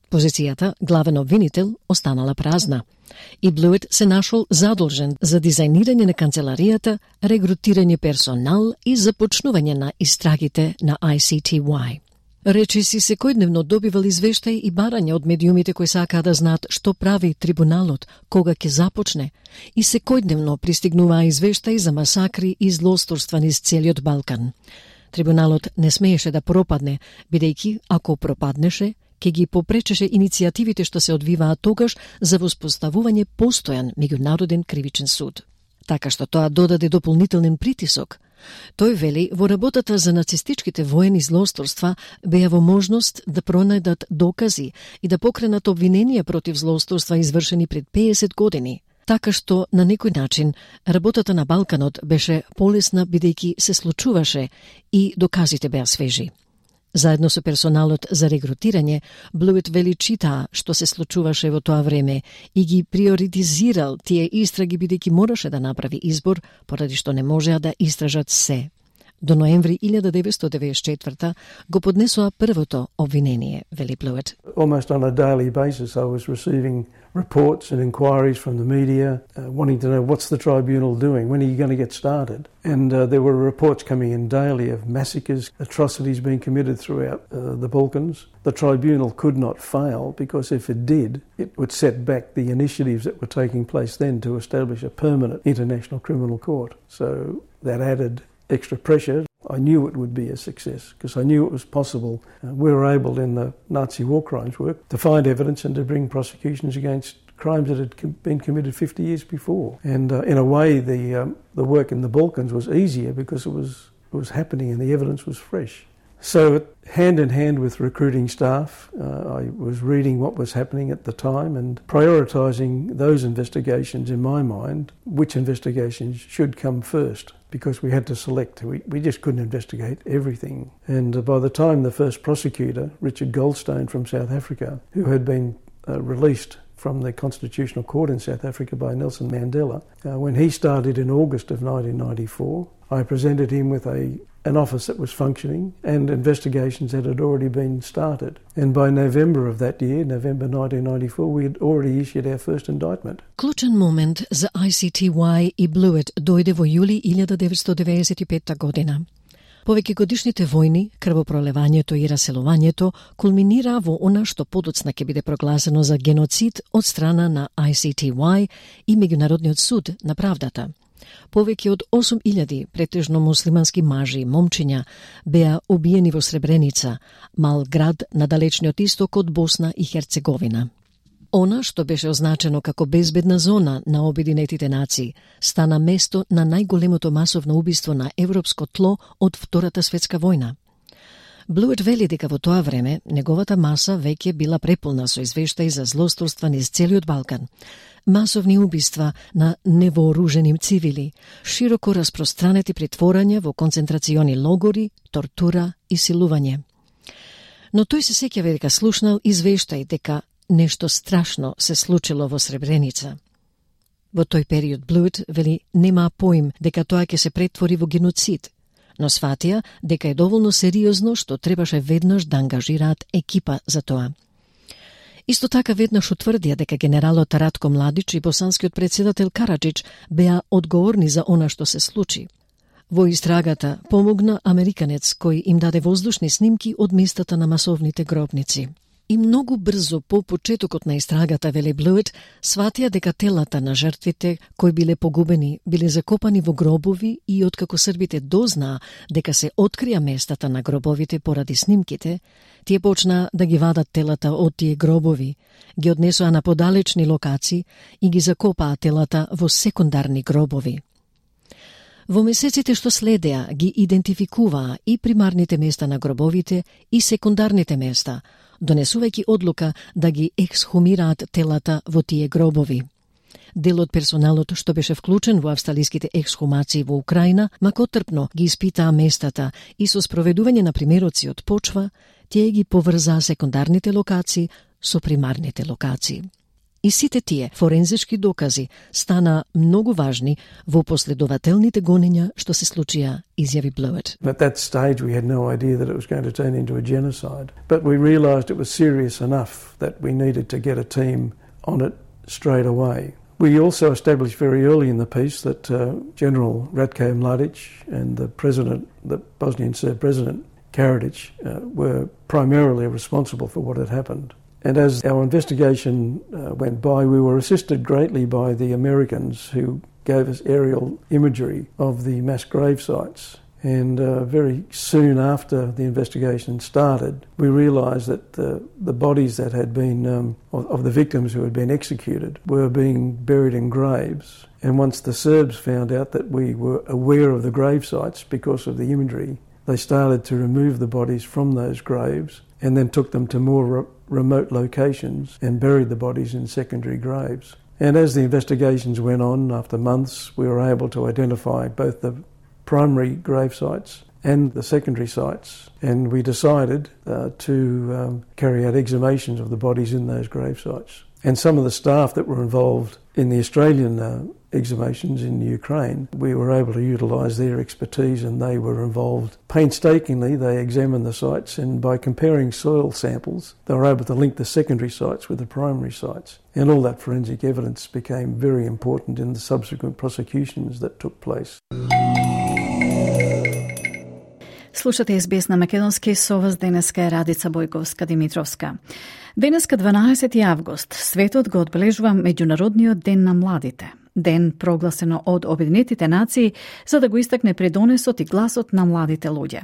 Позицијата главен обвинител останала празна. И Блует се нашол задолжен за дизајнирање на канцеларијата, регрутирање персонал и започнување на истрагите на I C T Y. Речиси секојдневно добивал извештаи и барања од медиумите кои сакаа да знаат што прави трибуналот, кога ќе започне, и секојдневно пристигнуваа извештаи за масакри и злоустојства низ целиот Балкан. Трибуналот не смееше да пропадне, бидејќи ако пропаднеше, ќе ги попречеше иницијативите што се одвиваат тогаш за воспоставување постојан меѓународен кривичен суд. Така што тоа додаде дополнителен притисок. Тој вели, во работата за нацистичките воени злоустојства беа во можност да пронајдат докази и да покренат обвиненија против злоустојства извршени пред педесет години. Така што, на некој начин, работата на Балканот беше полесна бидејќи се случуваше и доказите беа свежи. Заедно со персоналот за регрутирање, Блует вели читаа што се случуваше во тоа време и ги приоритизирал тие истраги бидејќи мораше да направи избор, поради што не можеа да истражат се. До ноември илјада деветстотини деветдесет и четврта го поднесоа првото обвинение, вели Блует. Almost on a daily basis I was receiving reports and inquiries from the media uh, wanting to know what's the tribunal doing, when are you going to get started? And uh, there were reports coming in daily of massacres, atrocities being committed throughout uh, the Balkans. The tribunal could not fail because if it did, it would set back the initiatives that were taking place then to establish a permanent international criminal court. So that added extra pressure. I knew it would be a success because I knew it was possible. Uh, we were able in the Nazi war crimes work to find evidence and to bring prosecutions against crimes that had com- been committed fifty years before. And uh, in a way, the um, the work in the Balkans was easier because it was it was happening and the evidence was fresh. So hand in hand with recruiting staff, uh, I was reading what was happening at the time and prioritising those investigations in my mind, which investigations should come first, because we had to select. We, we just couldn't investigate everything. And uh, by the time the first prosecutor, Richard Goldstone from South Africa, who had been uh, released from the Constitutional Court in South Africa by Nelson Mandela. Uh, when he started in August of nineteen ninety-four, I presented him with a an office that was functioning and investigations that had already been started. And by November of that year, November nineteen ninety-four, we had already issued our first indictment. Клучен момент за I C T Y и Bluet дојде во јули илјада деветстотини деветдесет и петта година. Повеќе годишните војни, крвопролевањето и раселувањето кулминира во она што подоцна ќе биде прогласено за геноцид од страна на I C T Y и Меѓународниот суд на правдата. Повеќе од осум илјади претежно муслимански мажи и момчиња беа убиени во Сребреница, мал град на далечниот исток од Босна и Херцеговина. Она што беше означено како безбедна зона на Обединетите нации стана место на најголемото масовно убиство на европско тло од Втората светска војна. Блует вели дека во тоа време неговата маса веќе била преполна со извештаи за злосторства низ целиот Балкан, масовни убиства на невооружени цивили, широко распространети притворања во концентрациони логори, тортура и силување. Но тој се сеќава дека слушнал извештаи дека нешто страшно се случило во Сребреница. Во тој период Блует вели нема поим дека тоа ќе се претвори во геноцид, но сватија дека е доволно сериозно што требаше веднаш да ангажираат екипа за тоа. Исто така веднаш утврдија дека генералот Радко Младич и босанскиот председател Караджич беа одговорни за она што се случи. Во истрагата помогна американец кој им даде воздушни снимки од местата на масовните гробници. И многу брзо по почетокот на истрагата, вели Блует, сватија дека телата на жртвите кои биле погубени биле закопани во гробови и откако србите дознаа дека се открија местата на гробовите поради снимките, тие почнаа да ги вадат телата од тие гробови, ги однесоа на подалечни локации и ги закопаа телата во секундарни гробови. Во месеците што следеа ги идентификуваа и примарните места на гробовите и секундарните места, донесувајќи одлука да ги ексхумираат телата во тие гробови. Дел од персоналот што беше вклучен во австралиските ексхумации во Украина, макотрпно ги испитаа местата и со спроведување на примероци од почва, тие ги поврзаа секундарните локации со примарните локации. И сите тие форензички докази стана многу важни во последователните гонења што се случија, изјави Блует. At that stage we had no idea that it was going to turn into a genocide, but we realised it was serious enough that we needed to get a team on it straight away. We also established very early in the piece that uh, General Ratko Mladic and the president, the Bosnian Serb president, Karadzic, uh, were primarily responsible for what had happened. And as our investigation uh, went by, we were assisted greatly by the Americans who gave us aerial imagery of the mass grave sites. And uh, very soon after the investigation started, we realised that the, the bodies that had been, um, of, of the victims who had been executed, were being buried in graves. And once the Serbs found out that we were aware of the grave sites because of the imagery, they started to remove the bodies from those graves and then took them to more re- remote locations and buried the bodies in secondary graves. And as the investigations went on, after months, we were able to identify both the primary grave sites and the secondary sites, and we decided uh, to um, carry out exhumations of the bodies in those grave sites. And some of the staff that were involved in the Australian uh, exhumations in Ukraine, we were able to utilise their expertise, and they were involved painstakingly. They examined the sites, and by comparing soil samples, they were able to link the secondary sites with the primary sites. And all that forensic evidence became very important in the subsequent prosecutions that took place. Слушате Ес Би Ес на македонски, со вас денеска е Радица Бојковска-Димитровска. Денеска дванаесети август, светот го одбележува Меѓународниот ден на младите. Ден прогласено од Обединетите нации за да го истакне придонесот и гласот на младите луѓе.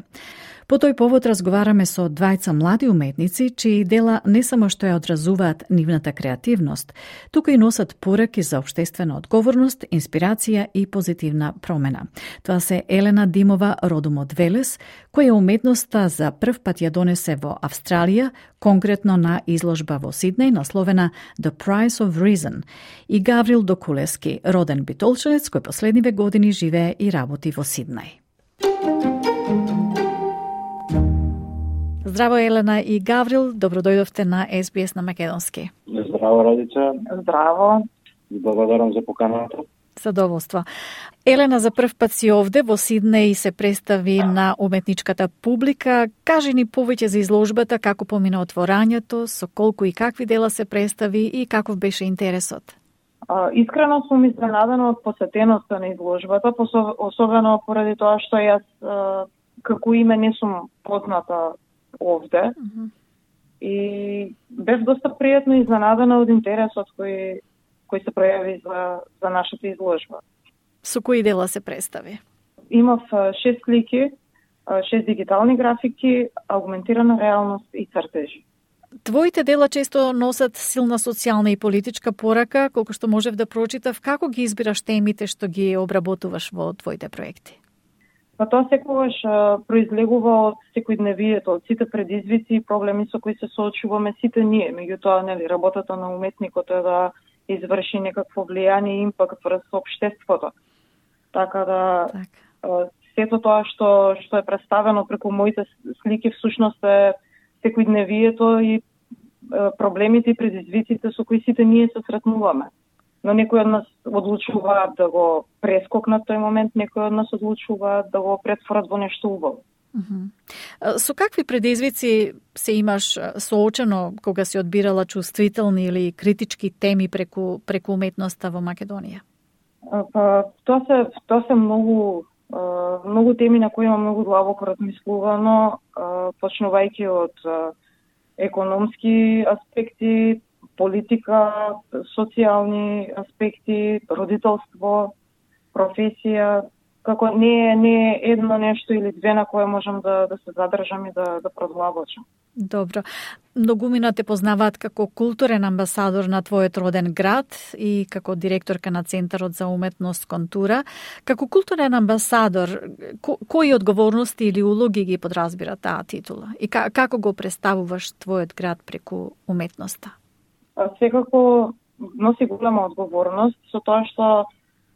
По тој повод разговараме со двајца млади уметници, чии дела не само што ја одразуваат нивната креативност, туку и носат пораки за општествена одговорност, инспирација и позитивна промена. Тоа се Елена Димова, родом од Велес, која уметноста за прв пат ја донесе во Австралија, конкретно на изложба во Сиднеј, насловена The Price of Reason, и Гаврил Докулевски, роден битолчанец, кој последниве години живее и работи во Сиднеј. Здраво, Елена и Гаврил, добро дојдовте на Ес Би Ес на македонски. Здраво, Радица. Здраво. Благодарам за поканата. Задоволство. Елена, за прв пат си овде во Сиднеј се представи на уметничката публика. Кажи ни повеќе за изложбата, како помина отворањето, со колку и какви дела се представи и каков беше интересот. А, искрено сум изненадена од посетеноста на изложбата, особено поради тоа што јас а, како име не сум позната овде. Mm-hmm. И бев доста пријатно изненадена од интересот кој кој се пројави за, за нашата изложба. Со кои дела се представи? Имав шест слики, шест дигитални графики, аугментирана реалност и цртежи. Твоите дела често носат силна социјална и политичка порака, колку што можев да прочитав. Како ги избираш темите што ги обработуваш во твоите проекти? Па тоа секогаш произлегува од секојдневието, од сите предизвици и проблеми со кои се соочуваме сите ние. Меѓутоа, нели, работата на уметникот е да изврши некакво влијание и импакт врз општеството. Така да так. Сето тоа што што е представено преку моите слики всушност е секојдневието и проблемите и предизвиците со кои сите ние се сретнуваме. Но некои од нас одлучуваат да го прескокнат тој момент, некои од нас одлучуваат да го претворат во нешто убаво. Uh-huh. Со какви предизвици се имаш соочено кога си одбирала чувствителни или критички теми преку преку уметноста во Македонија? Па тоа се тоа се многу многу теми на кои има многу длабоко размислувано, почнувајќи од економски аспекти, политика, социјални аспекти, родителство, професија. Како не е, не е едно нешто или две на кое можам да, да се задржам и да, да продлабочам. Добро. Многумина те познаваат како културен амбасадор на твојот роден град и како директорка на Центарот за уметност Контура. Како културен амбасадор, ко, кои одговорности или улоги ги подразбира таа титула? И како го представуваш твојот град преку уметноста? Секако носи голема одговорност со тоа што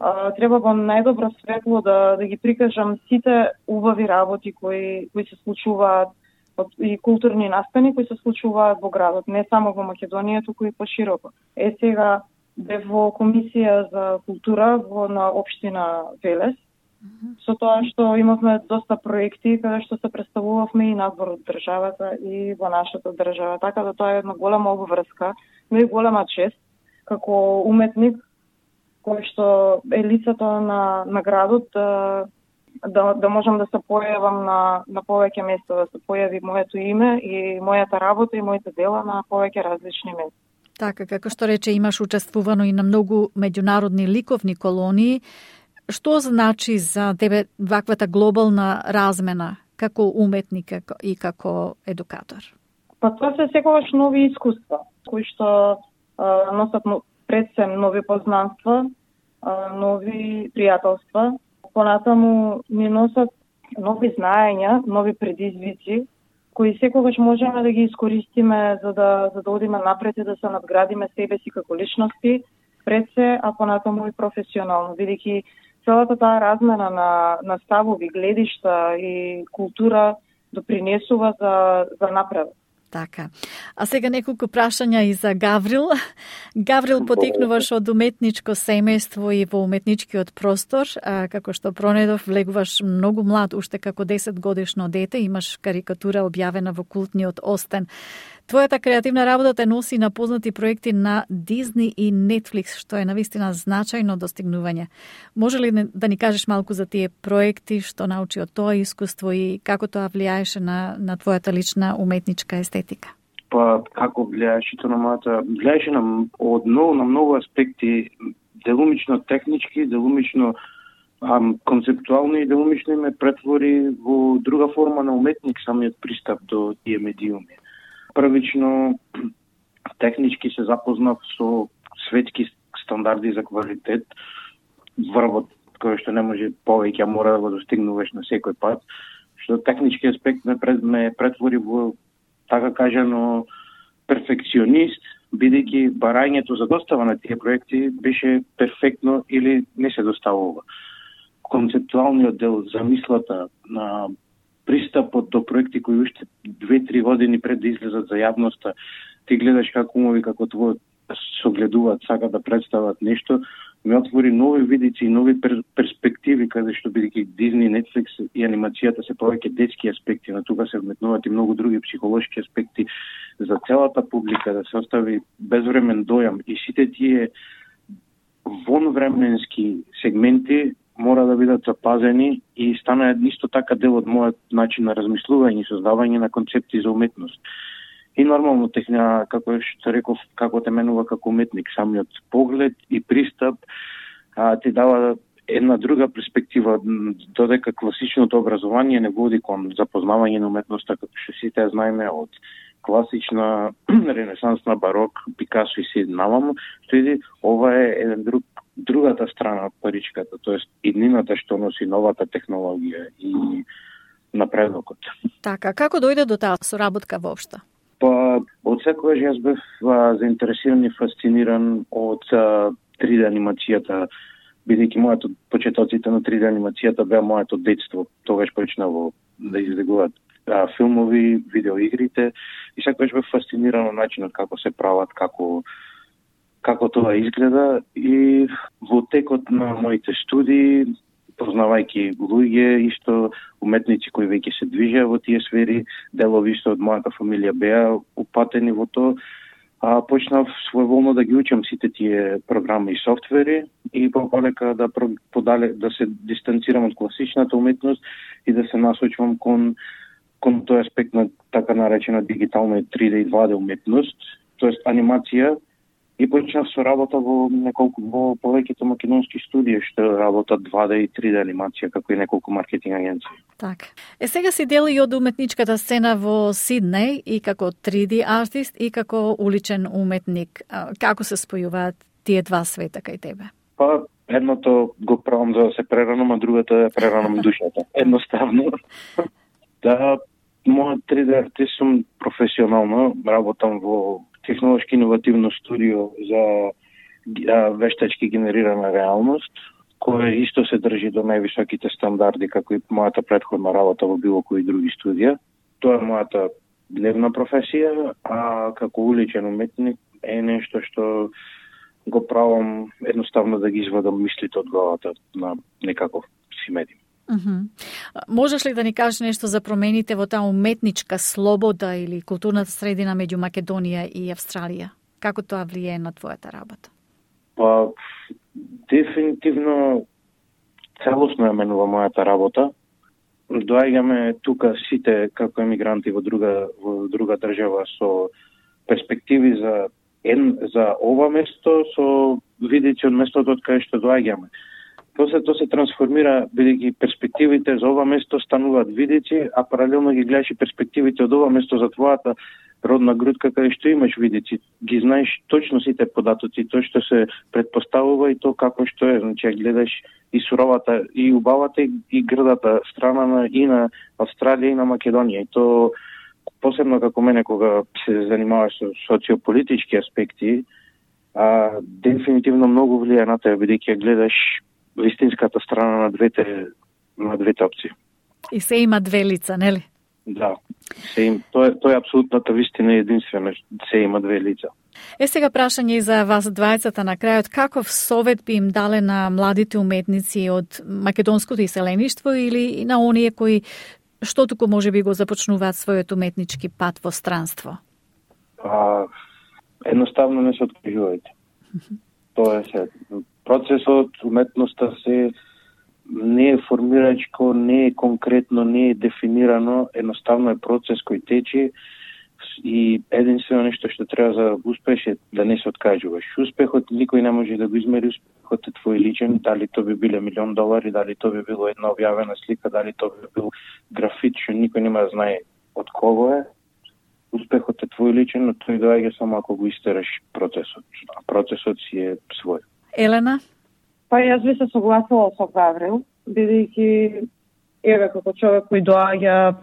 Uh, треба во најдобро светло да, да ги прикажам сите убави работи кои, кои се случуваат и културни настани кои се случуваат во градот, не само во Македонија, туку и пошироко. Е сега бев во комисија за култура во на општина Велес, mm-hmm. со тоа што имавме доста проекти каде што се представувавме и надвор од државата и во нашата држава, така да тоа е една голема обврска, но и голема чест како уметник кој што е лицето на, на градот, да, да, да можам да се појавам на, на повеќе места, да се појави моето име и мојата работа и моите дела на повеќе различни места. Така, како што рече, имаш учествувано и на многу меѓународни ликовни колонии. Што значи за тебе ваквата глобална размена како уметник и како едукатор? Па тоа се секогаш нови искуства, кои што а, носат пред се нови познанства, нови пријателства. Понатаму ни носат нови знаења, нови предизвици, кои секогаш можеме да ги искористиме за да, за да одиме напред и да се надградиме себе си како личности, пред се, а понатаму и професионално, бидејќи целата таа размена на, на ставови, гледишта и култура допринесува за, за напредок. Така. А сега неколку прашања и за Гаврил. Гаврил потекнуваш од уметничко семејство и во уметничкиот простор, а, како што пронедов влегуваш многу млад, уште како десет годишно дете, имаш карикатура објавена во култниот Остен. Твојата креативна работа те носи на познати проекти на Дизни и Netflix, што е навистина значајно достигнување. Може ли да ни кажеш малку за тие проекти, што научи од тоа искуство и како тоа влијаеше на, на твојата лична уметничка естетика? Па, како влијаеше тоа на мојата? Влијаеше на, од многу, на многу аспекти, делумично технички, делумично ам, концептуално и делумично ме претвори во друга форма на уметник самиот пристап до тие медиуми. Првично, технички се запознав со светски стандарди за квалитет, врвот кој што не може повеќе, мора да го достигнуваш на секој пат, што технички аспект ме, пред, ме претвори во, така кажано, перфекционист, бидејќи барањето за достава на тие проекти беше перфектно или не се доставува. Концептуалниот дел, замислата на пристапот до проекти кои уште две-три години пред да излезат за јавноста, ти гледаш како умови како твојот согледуваат, сакаат да представат нешто, ми отвори нови видици и нови пер, перспективи, каде што бидејќи Disney, Netflix и анимацијата се повеќе детски аспекти, на тука се вметнуваат и многу други психолошки аспекти за целата публика, да се остави безвремен дојам и сите тие вонвременски сегменти мора да бидат запазени и станаат исто така дел од мојот начин на размислување и создавање на концепти за уметност. И нормално техна, како што реков, како те менува како уметник, самиот поглед и пристап а, ти дава една друга перспектива, додека класичното образование не води кон запознавање на уметноста, како што сите знаеме од класична, ренесансна, барок, Пикасо и се намам, што иди, ова е еден друг, другата страна од паричката, тоест иднината што носи новата технологија и напредокот. Така, како дојде до таа соработка воопшто? Па, од секогаш јас бев а, заинтересиран и фасциниран од а, три Д анимацијата, бидејќи моето почетоците на три Д анимацијата беа моето детство. Тогаш почнав да излегуваат а, филмови, видеоигрите и секогаш бев фасциниран од начинот како се прават, како како тоа изгледа и во текот на моите студии, познавајќи луѓе, исто уметници кои веќе се движеа во тие сфери, делови исто од мојата фамилија беа упатени во тоа, а почнав своеволно да ги учам сите тие програми и софтвери и полека да подале да се дистанцирам од класичната уметност и да се насочувам кон кон тој аспект на така наречена дигитална и три Д и два Д уметност, тоест анимација. И почнав со работа во неколку во повеќето македонски студии што работат два Д и три Д анимација, како и неколку маркетинг агенции. Така. Е сега си дел и од уметничката сцена во Сиднеј и како три Д артист и како уличен уметник. Како се спојуваат тие два света кај тебе? Па едното го правам за да се преранам, а другото е преранам душата. Едноставно. Да, мојот три Д артист сум професионално, работам во технолошки иновативно студио за вештачки генерирана реалност, која исто се држи до највисоките стандарди, како и мојата претходна работа во било кои други студија. Тоа е мојата дневна професија, а како уличен уметник е нешто што го правам едноставно да ги извадам мислите од главата на некаков си медиум. Uh-huh. Можеш ли да ни кажеш нешто за промените во таа уметничка слобода или културната средина меѓу Македонија и Австралија? Како тоа влијае на твојата работа? Па, дефинитивно целосно ја менува мојата работа. Доаѓаме тука сите како емигранти во друга во друга држава со перспективи за ен за ова место, со видици од местото од каде што доаѓаме. После тоа се трансформира, бидејќи перспективите за ова место стануваат видици, а паралелно ги гледаш и перспективите од ова место за твојата родна грудка, каде што имаш видици. Ги знаеш точно сите податоци, тоа што се предпоставува и тоа како што е. Значи, гледаш и суровата, и убавата, и грдата страна на, и на Австралија, и на Македонија. И тоа, посебно како мене, кога се занимаваш со социополитички аспекти, а, дефинитивно многу влијае на тоа, бидејќи гледаш вистинската страна на двете на двете опции. И се има две лица, нели? Да. Се им, тоа е тоа е апсолутната вистина и единствена, се има две лица. Е сега прашање и за вас двајцата на крајот, каков совет би им дале на младите уметници од македонското иселеништво или на оние кои што туку може би го започнуваат својот уметнички пат во странство? А, едноставно не се откажувајте. Тоа е се. Процесот, уметноста се не е формирачко, не е конкретно, не е дефинирано, едноставно е процес кој тече и единствено нешто што треба за успех е да не се откажуваш. Успехот никој не може да го измери, успехот е твој личен, дали тоа би биле милион долари, дали тоа би било една објавена слика, дали тоа би бил графит, што никој нема да знае од кого е. Успехот е твој личен, но тој доаѓа само ако го истераш процесот, а процесот си е свој. Елена? Па јас би се согласила со Гаврил, бидејќи еве како човек кој доаѓа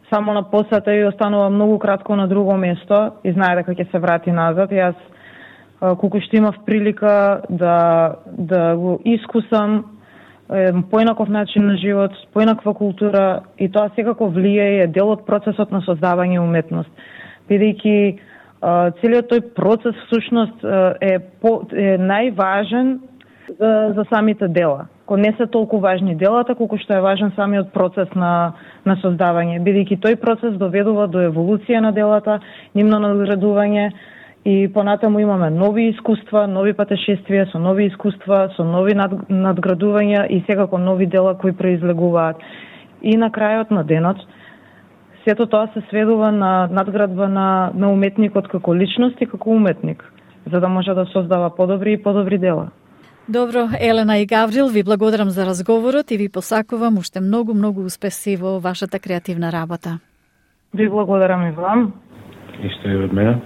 само на посета и останува многу кратко на друго место и знае дека ќе се врати назад. Јас колку што имав прилика да да го искусам поинаков начин на живот, поинаква култура и тоа секако влијае, е дел од процесот на создавање уметност. Бидејќи целиот тој процес всушност е, по, е најважен за, за самите дела. Ко не се толку важни делата, колку што е важен самиот процес на, на создавање, бидејќи тој процес доведува до еволуција на делата, нивно надградување и понатаму имаме нови искуства, нови патешествија со нови искуства, со нови над, надградувања и секако нови дела кои произлегуваат. И на крајот на денот, сето тоа се сведува на надградба на, на уметникот како личност и како уметник, за да може да создава подобри и подобри дела. Добро, Елена и Гаврил, ви благодарам за разговорот и ви посакувам уште многу, многу успеси во вашата креативна работа. Ви благодарам и вам. Исто и од мене.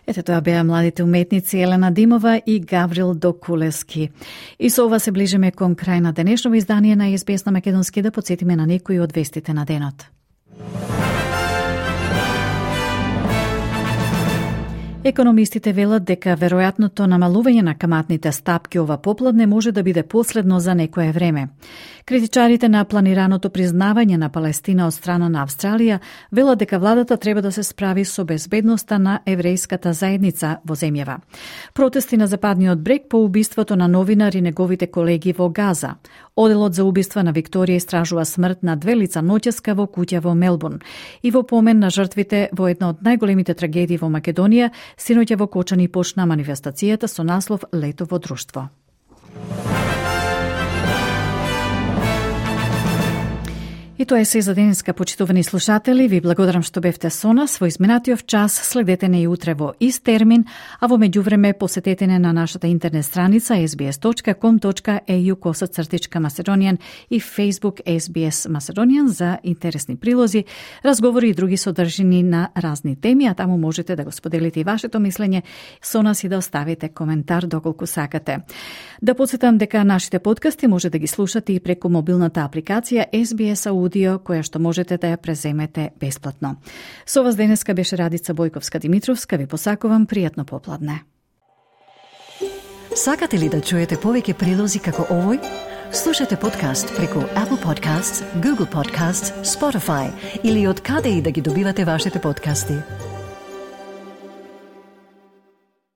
Ете, тоа беа младите уметници Елена Димова и Гаврил Докулевски. И со ова се ближиме кон крај на денешното издание на Ес Би Ес на Македонски, да потсетиме на некои од вестите на денот. Економистите велат дека веројатното намалување на каматните стапки ова попладне може да биде последно за некое време. Критичарите на планираното признавање на Палестина од страна на Австралија велат дека владата треба да се справи со безбедноста на еврејската заедница во земјава. Протести на Западниот брег по убиството на новинар и неговите колеги во Газа. Оделот за убиства на Викторија истражува смрт на две лица ноќеска во куќа во Мелбурн. И во помен на жртвите во една од најголемите трагедии во Македонија, синоќа во Кочани почна манифестацијата со наслов Лето во друштво. И тоа е се за денеска, почитувани слушатели. Ви благодарам што бевте со нас во изминатиот час. Следете не и утре во ист термин, а во меѓувреме посетете не на нашата интернет страница ес би ес точка ком точка е ю косацртичка Macedonian и Facebook Ес Би Ес Macedonian за интересни прилози, разговори и други содржини на разни теми, а таму можете да го споделите и вашето мислење со нас и да оставите коментар доколку сакате. Да подсетам дека нашите подкасти може да ги слушате и преку мобилната апликација Ес Би Ес Audio, која што можете да ја преземете бесплатно. Со вас денеска беше Радица Бојковска-Димитровска. Ви посакувам пријатно попладне. Сакате ли да чуете повеќе прилози како овој? Слушате подкаст преку Apple Podcasts, Google Podcasts, Spotify или од каде и да ги добивате вашите подкасти.